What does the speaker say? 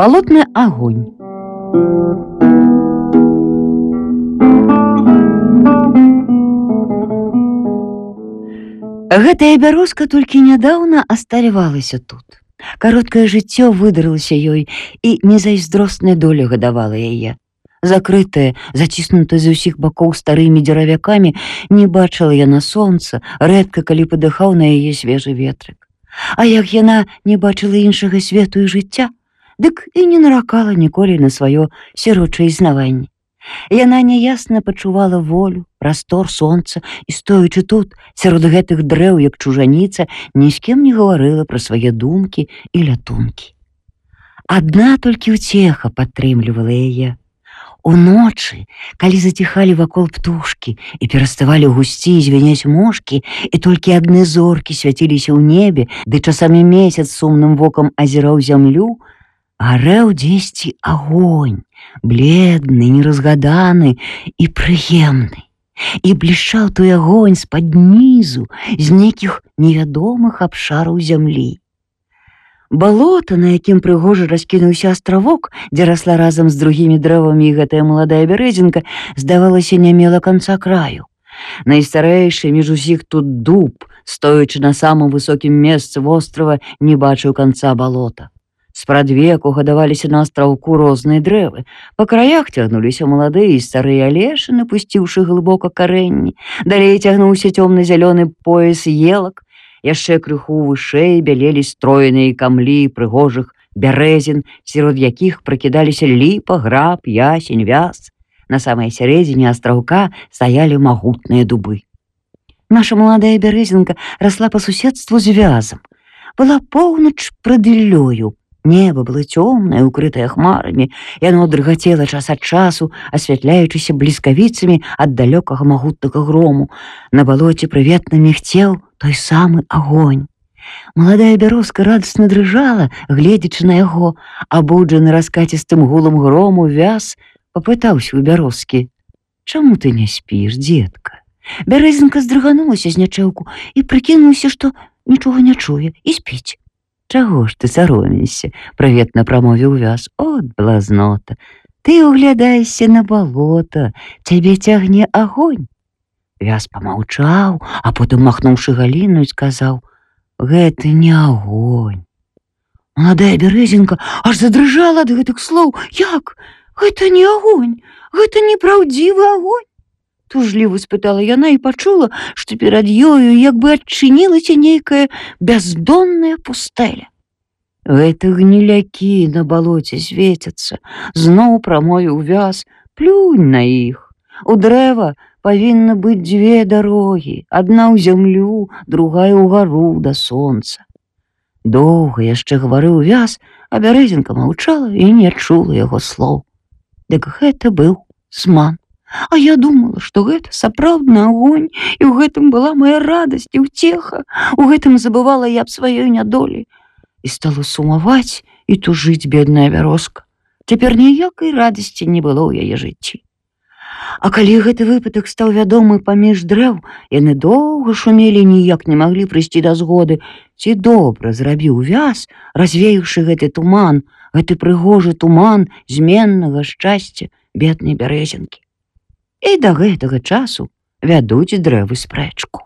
Балотны агонь. Гэтая бярозка толькі нядаўна асталявалася тут. Кароткае жыццё выдарылася ёй, і незайздросная доля гадавала яе. Закрытая, заціснутая з усіх бакоў старымі дзеравякамі, не бачыла яна сонца, рэдка калі падыхаў на яе свежы ветрык. А як яна не бачыла іншага свету і жыцця, дык і не наракала ніколі на сваё сірочае існаванне. Яна няясна пачувала волю, прастор сонца, і, стоячы тут, сярод гэтых дрэў, як чужаніца, ні з кім не гаварыла пра свае думкі і лятункі. Адна толькі ўцеха падтрымлівала яе. Уночы, калі заціхалі вакол птушкі і пераставалі гусці і звеняць мошкі, і толькі адны зоркі свяціліся ў небе, ды часамі месяц сумным вокам азіраў зямлю, гарэў дзесьці агонь, бледны, неразгаданы і прыемны. І блішчаў той агонь з-пад нізу, з нейкіх невядомых абшараў зямлі. Балота, на якім прыгожа раскінуўся астравок, дзе расла разам з другімі дрэвамі і гэтая маладая бярэзінка, здавалася, не мела канца краю. Найстарэйшы між усіх тут дуб, стоячы на самым высокім месцы вострава, не бачыў канца балота. Спрадвеку гадаваліся на астраўку розныя дрэвы. Па краях цягнуліся маладыя і старыя алешы, напусціўшы глыбока карэнні. Далей цягнуўся цёмна-зялёны пояс елак. Яшчэ крыху вышэй бялелі стройныя камлі прыгожых бярэзін, сярод якіх пракідаліся ліпа, граб, ясень, вяз. На самай сярэдзіне астраўка стаялі магутныя дубы. Наша маладая бярэзінка расла па суседству з вязам. Была поўнач прад іллёю. Неба было цёмнае, укрытае хмарамі, яно дрыгацела час ад часу, асвятляючыся бліскавіцамі ад далёкага магутнага грому. На балоце прыветна мігцеў той самы агонь. Маладая бярозка радасна дрыжала, гледзячы на яго, абуджаны раскацістым гулам грому, вяз папытаўся ў бярозкі: «Чаму ты не спіш, дзетка?» Бярэзінка здрыганулася з нячэўку і прыкінулася, што нічога не чуе, і спіць. «Чаго ж ты саромейся?» — прыветна прамовіў вяз. «От блазнота! Ты углядаешся на балота, цябе цягне агонь!» Вяз памаўчаў, а потым, махнуўшы галіну, сказаў: «Гэта не агонь!» Маладая бярэзінка аж задрыжала ад гэтых слоў. «Як? Гэта не агонь! Гэта непраўдзівы агонь!» Тужліва спытала яна і пачула, што перад ёю як бы адчынілася нейкая бяздонная пустэля. «Гэта гнілякі на балоце свецяцца», — зноў прамовіў вяз. «Плюнь на іх. У дрэва павінна быць дзве дарогі, адна ў зямлю, другая ўгару да сонца». Доўга яшчэ гаварыў вяз, а бярэзінка маўчала і не чула яго слоў. Дык гэта быў зман. А я думала, што гэта сапраўдны агонь, і ў гэтым была моя радасць і ўцеха. У гэтым забывала я аб сваёй нядолі. І стала сумаваць і тужыць бедная бярозка. Цяпер ніякай радасці не было ў яе жыцці. А калі гэты выпадак стаў вядомы паміж дрэў, яны доўга шумелі, ніяк не маглі прыйсці да згоды, ці добра зрабіў вяз, развеяўшы гэты туман, гэты прыгожы туман зменнага шчасця беднай бярэзінкі. І да гэтага часу вядуць дрэвы спрэчку.